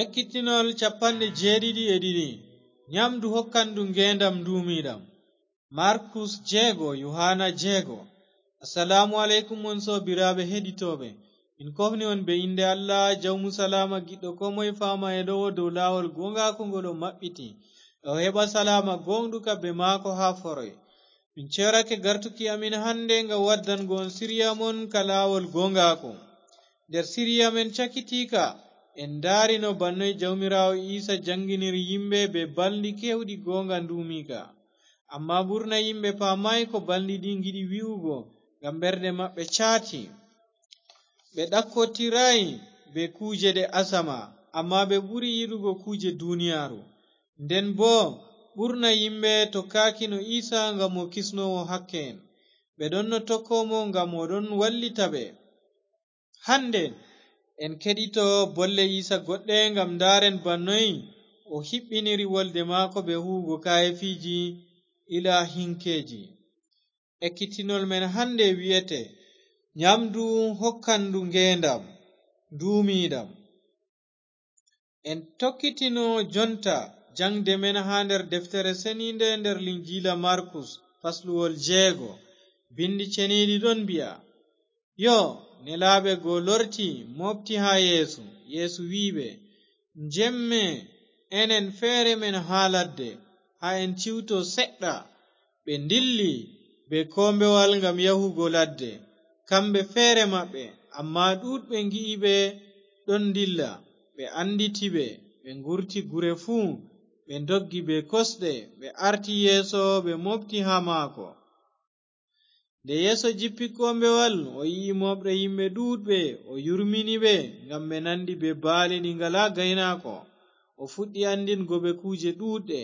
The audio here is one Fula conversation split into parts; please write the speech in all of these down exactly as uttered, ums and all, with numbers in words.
Ekkitinol capanɗe jeeɗiɗi e ɗiɗi. Ɲamndu hokkandu ngeendam nduumiiɗam. Markus jeego, Yuhaana jeego. Assalaamu aleykum, on soobiraaɓe heɗitooɓe. Min kofni on bee innde Allah, Jawmu salaama, giɗɗo koo moye faama e ɗowo dow laawol gooŋgaaku ngol o maɓɓiti. E o heɓa salaama gooŋɗuka bee maako haa foroy. Min ceerake gartuki amin hannde ngam waddango on siriya mon ka laawol gooŋgaaku. Nder siriya men cakitiika, en ndaarino bana noy Jawmiraawo Iisa jaŋginiri yimɓe bee balndi keewɗi gooŋga nduumiika. Ammaa ɓurna yimɓe paamaay ko balndi ɗi ngiɗi wi'ugo, ngam ɓerɗe maɓɓe caati. Ɓe ɗakkotiraay bee kuuje ɗe asama, ammaa ɓe ɓuri yiɗugo kuuje duniyaaru. Nden boo, ɓurna yimɓe tokkaakino Iisa ngam o kisnoowo hakke'en. Ɓe ɗonno tokko mo ngam o ɗon wallita ɓe. Hande, en keɗito bolle Iisa goɗɗe ngam ndaaren bana noy o hiɓɓiniri wolde maako bee huuwugo kaayeefiiji ilaahinkeeji. Ekkitinol men hande wi'ete, Ɲamndu hokkandu ngeendam nduumiiɗam. En tokkitino jonta jaŋde men haa nder Deftere Seniinde nder Linjiila Markus, fasluwol jeego. Binndi ceniiɗi ɗon mbi'a, Yoo, nelaaɓe go lorti, mooɓti haa Yeesu. Yeesu wi'i ɓe, Njemme, enen feere men haa ladde, haa en ciwto seɗɗa. Ɓe ndilli bee koombewal ngam yahugo ladde, kamɓe feere maɓɓe, ammaa ɗuuɗɓe ngi'i ɓe ɗon ndilla, ɓe annditi ɓe, ɓe ngurti gure fuu, ɓe ndoggi bee kosɗe, ɓe arti Yeesu, ɓe mooɓti haa maako. Nde Yeesu jippi koombewal, o yi'i mooɓre yimɓe ɗuuɗɓe, o yurmini ɓe, ngam ɓe nandi bee baali ɗi ngalaa gaynaako. O fuɗɗi anndingo ɓe kuuje ɗuuɗɗe.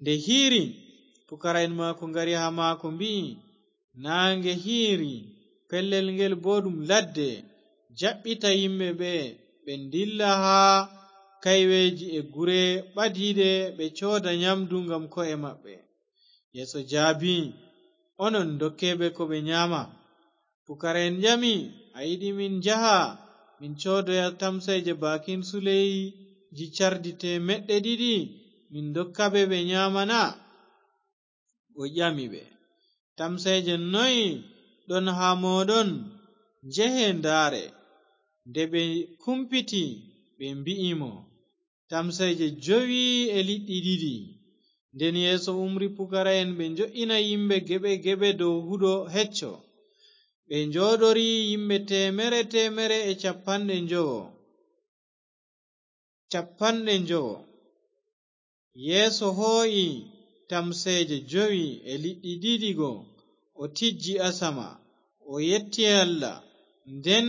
Nde hiiri, pukara'en maako ngari haa maako, mbi'i, Naaŋge hiiri, pellel ngel boo ɗum ladde. Jaɓɓita yimɓe ɓe, ɓe ndilla haa kayweeji e gure ɓadiiɗe, ɓe cooda ɲamndu ngam ko'e maɓɓe. Yeesu jaabi, Onon, ndokke ɓe ko ɓe ɲaama. Pukara'en ƴami, A yiɗi min njaha, min coodoya tamseeje baakin suleyji cardi teemeɗɗe ɗiɗi, min ndokka ɓe, ɓe ɲaama na? O ƴami ɓe, Tamseeje noy ɗon haa mooɗon? Njehe ndaare. Nde ɓe kumpiti, ɓe mbi'i mo, Tamseeje jowi e liɗɗi ɗiɗi. Nden Yeesu umri pukara'en ɓe njo'ina yimɓe geɓe geɓe dow huɗo hecco. Ɓe njooɗori yimɓe teemere teemere e capanɗe njowo. Capanɗe njowo. Yeesu hoo'i tamseeje jowi e liɗɗi ɗiɗi go, o tijji asama, o yetti Allah. Nden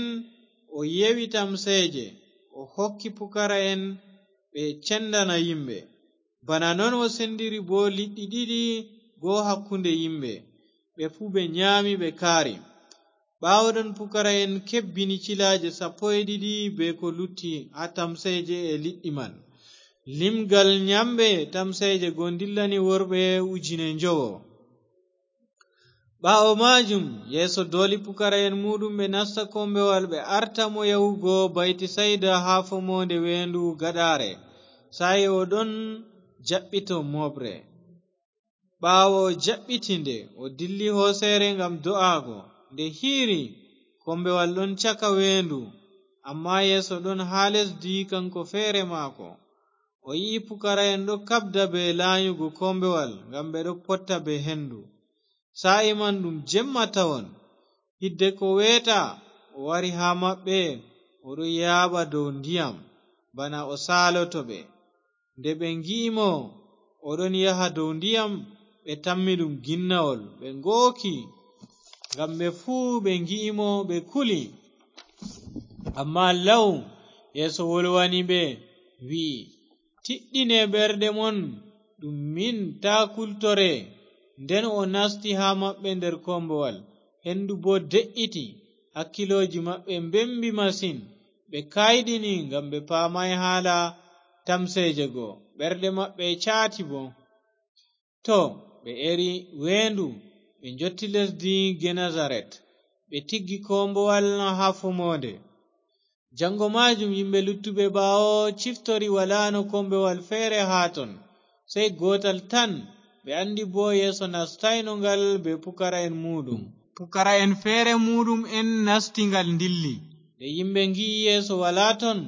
o yewi tamseeje, o hokki pukara'en ɓe cendana yimɓe. Bana non o sendiri boo liɗɗi ɗiɗi go hakkunde yimɓe, ɓe fuu ɓe nyaami, ɓe kaari. Ɓaawo ɗon pukara'en kebbini cilaaje sappo e ɗiɗi bee ko lutti haa tamseeje e liɗɗi man. Limgal nyamɓe tamseeje go ndillani worɓe ujine njowo. Ɓaawo maajum, Yeesu dooli pukara'en muuɗum ɓe nasta kombewal, ɓe arta mo yahugo Baytisayda haa fomoonde weendu gaɗaare, saa'i o ɗon jaɓɓito mooɓre. Ɓaawo o jaɓɓiti nde, o dilli hooseere ngam do'aago. Nde hiiri, kombewal ɗon caka weendu, ammaa Yeesu ɗon haa lesdi, kaŋko feere maako. O yi'i pukara'en ɗo kaɓda bee laanyugo kombewal, ngam ɓe ɗo potta bee hendu. Saa'i man ɗum jemma tawon. Hiddeko weeta, o wari haa maɓɓe, o ɗo yaaɓa dow ndiyam, bana o saaloto ɓe. Nde ɓe ngi'i mo o ɗon yaha dow ndiyam, ɓe tammi ɗum ginnawol, ɓe ngooki, ngam ɓe fuu ɓe ngi'i mo, ɓe kuli. Ammaa law Yeesu wolwani ɓe, wi'i, Tiɗɗine ɓerɗe mon, ɗum min, taa kultore. Nden o nasti haa maɓɓe nder kombowal, hendu boo de'iti, hakkilooji maɓɓe mbembi masin, ɓe kayɗini ngam ɓe paamaay haala tamseeje go, ɓerɗe maɓɓe caati boo. To ɓe eri weendu, ɓe njotti lesdi Genesaret, ɓe tiggi kombowal haa fomoonde. Janngo maajum yimɓe luttuɓe ɓaawo ciftori walaano kombewal feere haa ton, sey gootal tan. Ɓe anndi boo Yeesu nastayno ngal bee pukara'en muuɗum. Pukara'en feere muuɗum'en nasti ngal ndilli. Nde yimɓe ngi'i Yeesu walaa ton,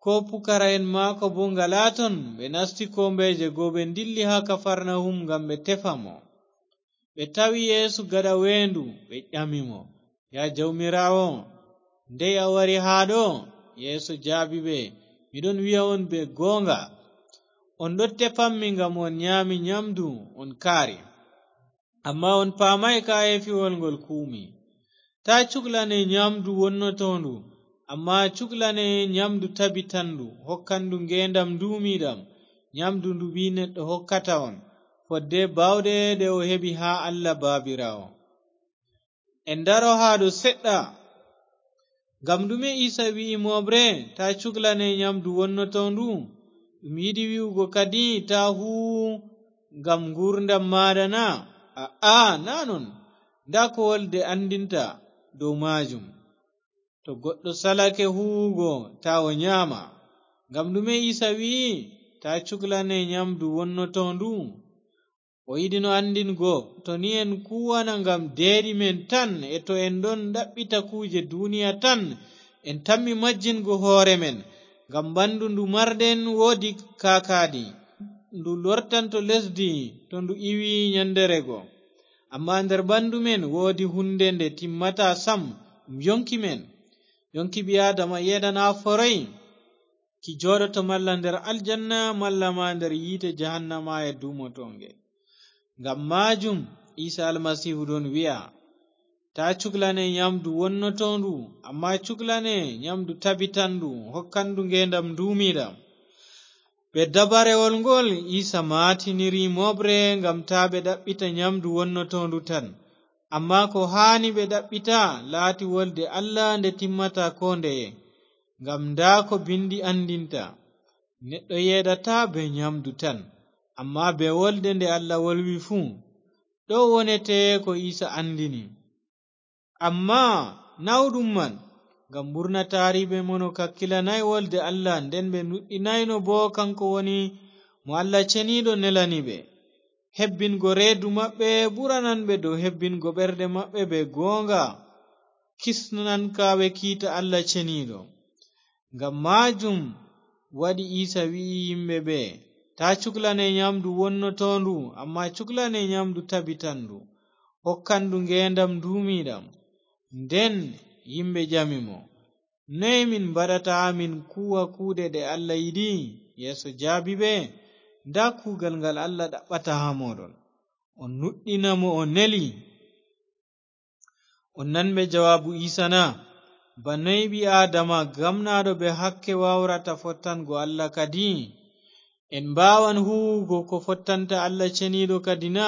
koo pukara'en maako boo ngalaa ton, ɓe nasti koombeeje go, ɓe ndilli haa Kafarnahum ngam ɓe tefa mo. Ɓe tawi Yeesu gaɗa weendu, ɓe ƴami mo, "Yaa Jawmiraawo, ndey a wari haa ɗo?" Yeesu jaabi ɓe, "Mi ɗon wi'a on bee gooŋga, on ɗon tefammi ngam on nyaami nyamdu, on kaari. Ammaa on paamaay kaayeefiwol ngol kuuwmi. Taa cuklane nyamdu wonnotoondu, ammaa cuklane nyamdu tabitandu, hokkandu ngeendam nduumiiɗam, nyamdu ndu Ɓii Neɗɗo hokkata on, fodde baawɗe ɗe o heɓi haa Allah Baabiraawo." En ndaro haa ɗo seɗɗa. Ngam ɗume Iisa wi'i mooɓre, "Taa cuklane nyamdu wonnotoondu"? Ɗum yiɗi wi'ugo kadi, "Taa huuwu ngam nguurndam maaɗa" na? Aa, naa non. Ndaa ko wolde anndinta dow maajum. To goɗɗo salake huuwugo, taa o nyaama. Ngam ɗume Iisa wi'i, "Taa cuklane nyamdu wonnotoondu"? O yiɗino anndingo, to ni en kuuwana ngam deeɗi men tan, e to en ɗon ɗaɓɓita kuuje duniya tan, en tammi majjingo hoore men. Ngam ɓandu ndu marɗen woodi kaakaadi, ndu lortanto lesdi to ndu iwi nyandere go. Ammaa nder ɓandu men woodi hunde nde timmata sam, ɗum yonki men. Yonki ɓii Aadama yeeɗanaa foroy. Ki jooɗoto malla nder aljanna, malla ma nder yiite jahannama e duumotoonge. Ngam maajum Iisa Almasiihu ɗon wi'a, "Taa cuklane nyamdu wonnotoondu, ammaa cuklane nyamdu tabitandu, hokkandu ngeendam nduumiiɗam." Bee dabarewol ngol, Iisa maatiniri mooɓre ngam taa ɓe ɗaɓɓita nyamdu wonnotoondu tan. Ammaa ko haani ɓe ɗaɓɓita laati wolde Allah nde timmata koo ndeye. Ngam ndaa ko Binndi anndinta, "Neɗɗo yeeɗataa bee nyamdu tan, ammaa bee wolde nde Allah wolwi fuu." Ɗo wonete ko Iisa anndini. Ammaa nawɗum man, ngam ɓurna taariiɓe mon o kakkilanaay wolde Allah, nden ɓe nuɗɗinaayno boo kanko woni mo Allah Ceniiɗo nelani ɓe. Hebbingo reedu maɓɓe ɓuranan ɓe dow hebbingo ɓerɗe maɓɓe bee gooŋga kisnankaaɓe kiita Allah Ceniiɗo. Ngam maajum waɗi Iisa wi'i yimɓe ɓe, "Taa cuklane nyamdu wonnotoondu, ammaa cuklane nyamdu tabitandu, hokkandu ngeendam nduumiiɗam." Nden yimɓe ƴami mo, "Noy min mbaɗata haa min kuuwa kuuɗe ɗe Allah yiɗi?" Yeesu jaabi ɓe, "Ndaa kuugal ngal Allah ɗaɓɓata haa mooɗon. On nuɗɗina mo o neli." On nan ɓe jawaabu Iisa na? Ba noy ɓii Aadama gamnaaɗo bee hakke waawrata fottango Allah kadi? En mbaawan huuwugo ko fottanta Allah Ceniiɗo kadi na?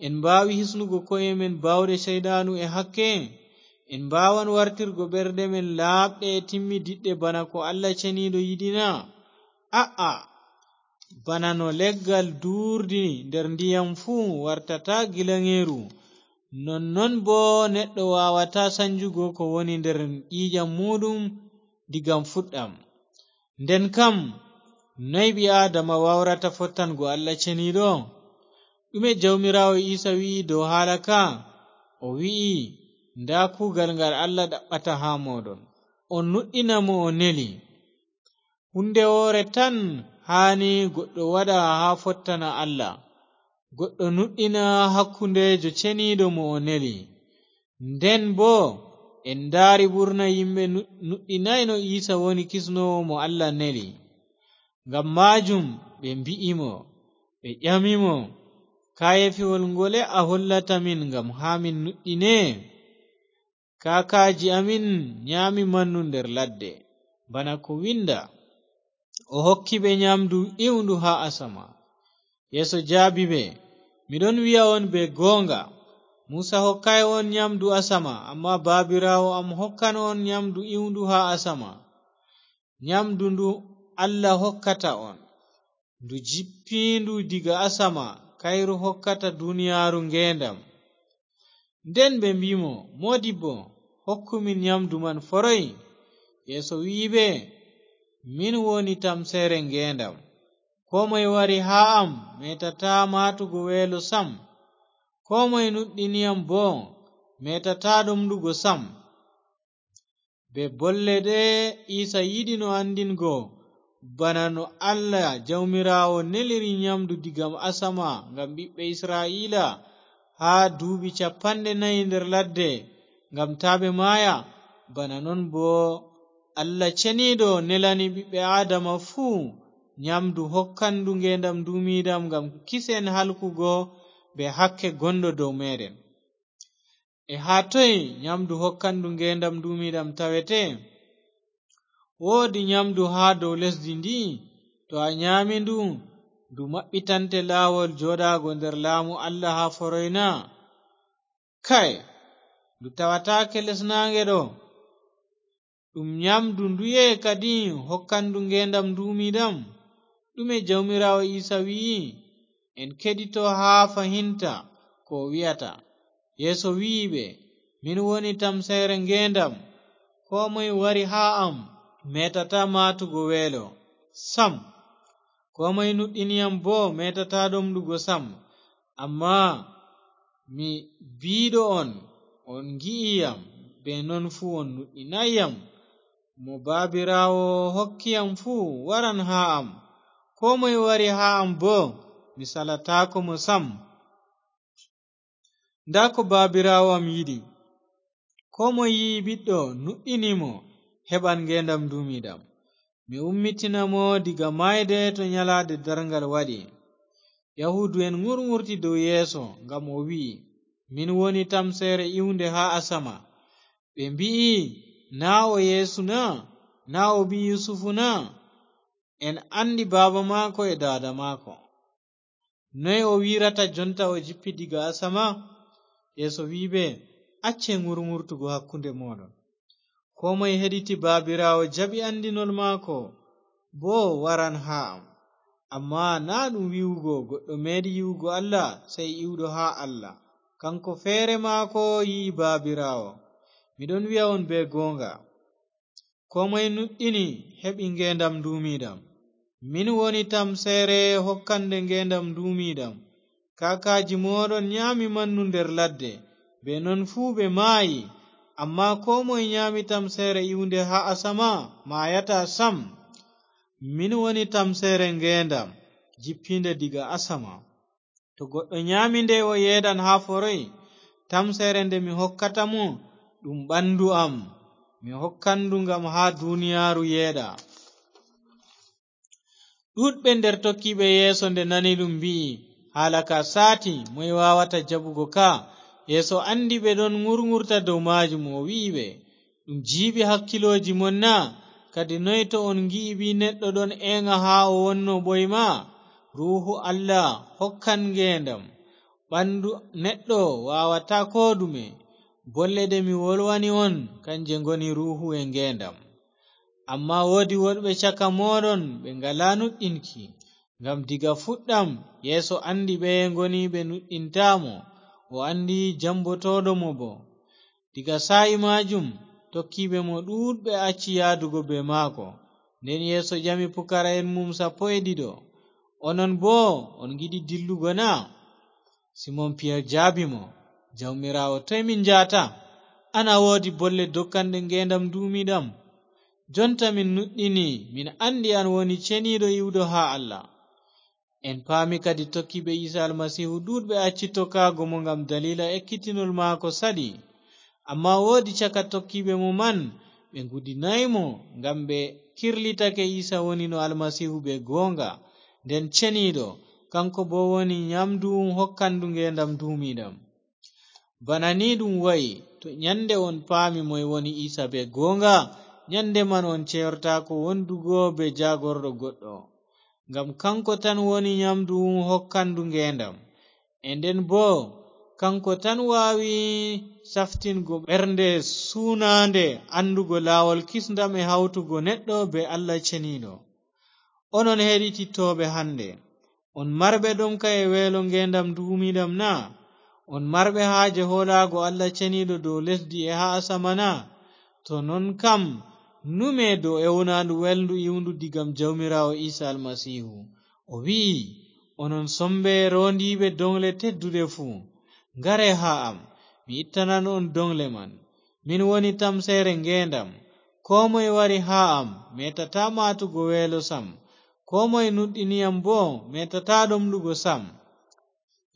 En mbaawi hisnugo ko'e men baawɗe Ceyɗaanu e hakke? En mbaawan wartirgo ɓerɗe men laaɓɗe e timmidiɗɗe bana ko Allah Ceniiɗo yiɗi na? A'a! Bana no leggal duurdi nder ndiyam fuu wartata gilaŋgeeru, nonnon boo neɗɗo waawataa sanjugo ko woni nder ƴiiƴam muuɗum diga fuɗɗam. Nden kam, noy ɓii Aadama waawrata fottango Allah Ceniiɗo? Ɗume Jawmiraawo Iisa wi'i dow haala ka? O wi'i, "Ndaa kuugal ngal Allah ɗaɓɓata haa mooɗon. On nuɗɗina mo o neli." Huunde woore tan haani goɗɗo waɗa haa fottana Allah. Goɗɗo nuɗɗina hakkundeejo Ceniiɗo mo o neli. Nden boo, en ndaari ɓurna yimɓe nu-, nuɗɗinaayno Iisa woni kisnoowo mo Allah neli. Ngam maajum ɓe mbi'i mo, ɓe ƴami mo, "Kaayeefiwol ngole a hollata min ngam haa min nuɗɗine? Kaakaaji amin nyaami mannu nder ladde, bana ko winnda, 'O hokki ɓe nyaamdu iwndu haa asama.'" Yeesu jaabi ɓe, "Mi ɗon wi'a on bee gooŋga, Muusa hokkaay on nyaamdu asama, ammaa Baabiraawo am hokkan on nyaamdu iwndu haa asama. Nyaamdu ndu Allah hokkata on, ndu jippiindu diga asama, kayru hokkata duniyaaru ngeendam." Nden ɓe mbi'i mo, "Moodibbo, hokku min nyaamdu man foroy." Yeesu wi'i ɓe, "Min woni tamseere ngeendam. Koo moye wari haa am meetataa maatugo weelo sam. Koo moye nuɗɗini yam boo meetataa ɗomɗugo sam." Bee bolle ɗe Iisa yiɗino anndingo, bana no Allah Jawmiraawo neliri nyamdu diga asama ngam ɓiɓɓe Isra'iila haa duuɓi cappanɗe nayi nder ladde, ngam taa ɓe maaya, bana non boo Allah Ceniiɗo nelani ɓiɓɓe Aadama fuu nyamdu hokkandu ngeendam nduumiiɗam ngam kisen halkugo bee hakke gonɗo dow meeɗen. E haa toy nyamdu hokkandu ngeendam nduumiiɗam tawete? Woodi nyamdu haa dow lesdi ndi, to a nyaami ndu, ndu maɓɓitante laawol jooɗaago nder laamu Allah haa foroy na? Kay, ndu tawataake les naaŋge ɗo. Ɗum nyamdu nduye kadi hokkandu ngeendam nduumiiɗam? Ɗume Jawmiraawo Iisa wi'i? En keɗito haa fahinta ko o wi'ata. Yeesu wi'i ɓe, "Min woni tamseere ngeendam. Koo moye wari haa am meetataa maatugo weelo sam. Koo moye nuɗɗini yam boo meetataa ɗomɗugo sam. Ammaa mi biiɗo on, on ngi'i yam, bee non fuu on nuɗɗinaay yam. Mo Baabiraawo hokki yam fuu waran haa am. Koo moye wari haa am boo, mi salataako mo sam. Ndaa ko Baabiraawo am yiɗi. Koo moye yi'i Ɓiɗɗo, nuɗɗini mo, heɓan ngeendam nduumiiɗam. Mi ummitina mo diga maayde to nyalaade darŋgal waɗi." Yahuudu'en ŋurŋurti dow Yeesu, ngam o wi'i, "Min woni tamseere iwnde haa asama." Ɓe mbi'i, "Naa o Yeesu na? Naa o ɓii Yusufu na? En anndi baaba maako e daada maako. Noy o wi'rata jonta o jippi diga asama?" Yeesu wi'i ɓe, "Acce ŋurŋurtugo hakkunde mooɗon. Koo moye heɗiti Baabiraawo jaɓi anndinol maako, boo waran haa am. Ammaa naa ɗum wi'ugo goɗɗo meeɗi yi'ugo Allah, sey iwɗo haa Allah. Kaŋko feere maako yi'i Baabiraawo. Mi ɗon wi'a on bee gooŋga, koo moye nuɗɗini heɓi ngeendam nduumiiɗam. Min woni tamseere hokkande ngeendam nduumiiɗam. Kaakaaji mooɗon nyaami mannu nder ladde, bee non fuu ɓe maayi. Ammaa koo moye nyaami tamseere iwnde haa asama, maayataa sam. Min woni tamseere ngeendam, jippiinde diga asama. To goɗɗo nyaami nde, o yeeɗan haa foroy. Tamseere nde mi hokkata mo, ɗum ɓandu am. Mi hokkan ndu ngam haa duniyaaru yeeɗa." Ɗuuɗɓe nder tokkiiɓe Yeesu, nde nani ɗum, mbi'i, "Haala ka saati, moy waawata jaɓugo ka?" Yeesu anndi ɓe ɗon ŋurŋurta dow maajum, o wi'i ɓe, "Ɗum jiiɓi hakkiilooji mon na? Kadi noy to on ngi'i Ɓii Neɗɗo ɗon eeŋa haa o wonno ɓoyma? Ruuhu Allah hokkan ngeendam. Ɓandu neɗɗo waawataa koo ɗume. Bolle ɗe mi wolwani on, kanje ngoni ruuhu e ngeendam." Ammaa woodi woɗɓe caka mooɗon ɓe ngalaa nuɗɗinki, ngam diga fuɗɗam Yeesu anndi ɓeye ngoni ɓe nuɗɗintaa mo, o anndi jambotooɗo mo boo. Diga saa'i maajum, tokkiiɓe mo ɗuuɗɓe acci yahdugo bee maako. Nden Yeesu ƴami pukara'en mum sappo e ɗiɗo, "Onon boo on ngiɗi dillugo na?" Simon Piyer jaabi mo, "Jawmiraawo, toy min njahata? An a woodi bolle dokkanɗe ngeendam nduumiiɗam. Jonta min nuɗɗini, min anndi an woni Ceniiɗo iwɗo haa Allah." En paami kadi tokkiiɓe Iisa Almasiihu ɗuuɗɓe acci tokkaago mo ngam daliila ekkitinol maako saɗi. Ammaa woodi caka tokkiiɓe mo man ɓe ngudinaay mo, ngam ɓe kirlitake Iisa wonino Almasiihu bee gooŋga, nden Ceniiɗo, kaŋko boo woni nyamndu hokkandu ngeendam nduumiiɗam. Bana ni ɗum wa'i, to nyannde on paami moy woni Iisa bee gooŋga, nyannde man on ceyortaako wondugo bee jaagorɗo goɗɗo. Ngam kaŋko tan woni nyamndu hokkandu ngeendam. E nden boo, kaŋko tan waawi saftingo ɓernde suunaande, anndugo laawol kisndam e hawtugo neɗɗo bee Allah Ceniiɗo. Onon heɗitittooɓe hannde, on marɓe ɗomka e weelo ngeendam nduumiiɗam na? On marɓe haaje hoolaago Allah Ceniiɗo dow lesdi e haa asama na? To non kam, Numee dow ewnaandu welndu iwndu digam Jawmiraawo Iisa Almasiihu. O wi'i, "Onon sommbe roondiiɓe doŋgle tedduɗe fuu, ngare haa am, mi ittanan on doŋgle man. Min woni tamseere ngeendam. Koo moye wari haa am, meetataa maatugo weelo sam. Koo moye nuɗɗini am boo, meetataa ɗomɗugo sam."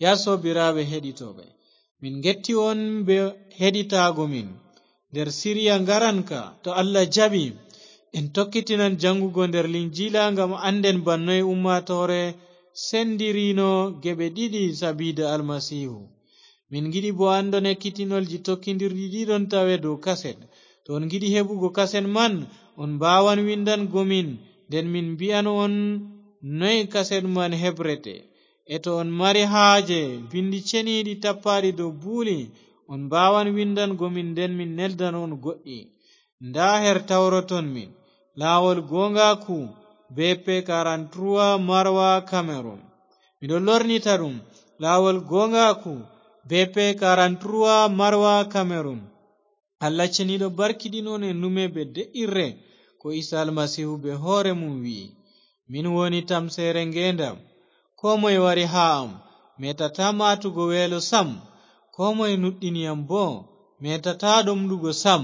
Ya soobiraaɓe heɗitooɓe, min ngetti on bee heɗitaago min nder Siriya ngaranka. To Allah jaɓi, en tokkitinan jaŋgugo nder Linjiila ngam annden bana noy ummaatoore sendirino geɓe ɗiɗi sabiida Almasiihu. Min ngiɗi boo anndon ekkitinolji tokkindirɗi ɗi ɗon tawe dow kaset. To on ngiɗi heɓugo kaset man, on mbaawan winndango min, nden min mbi'an on noy kaset man hebrete. E to on mari haaje binndi ceniiɗi tappaaɗi dow buuli, on mbaawan winndango min, nden min neldan on goɗɗi. Ndaa her tawroton min, laawol gooŋgaaku, B P quarante-trois, Marwa, Cameroun. Miɗo lornita ɗum, laawol gooŋgaaku, B P quarante-trois, Marwa, Cameroun. Allah ceniiɗo barkiɗin on e nume bee de'irre, ko Iisa Almasiihu bee hoore mum wi'i, "Min woni tamseere ngeendam. Koo moye wari haa am, meetataa maatugo weelo sam. Koo moye nuɗɗini am boo, meetataa ɗomɗugo sam."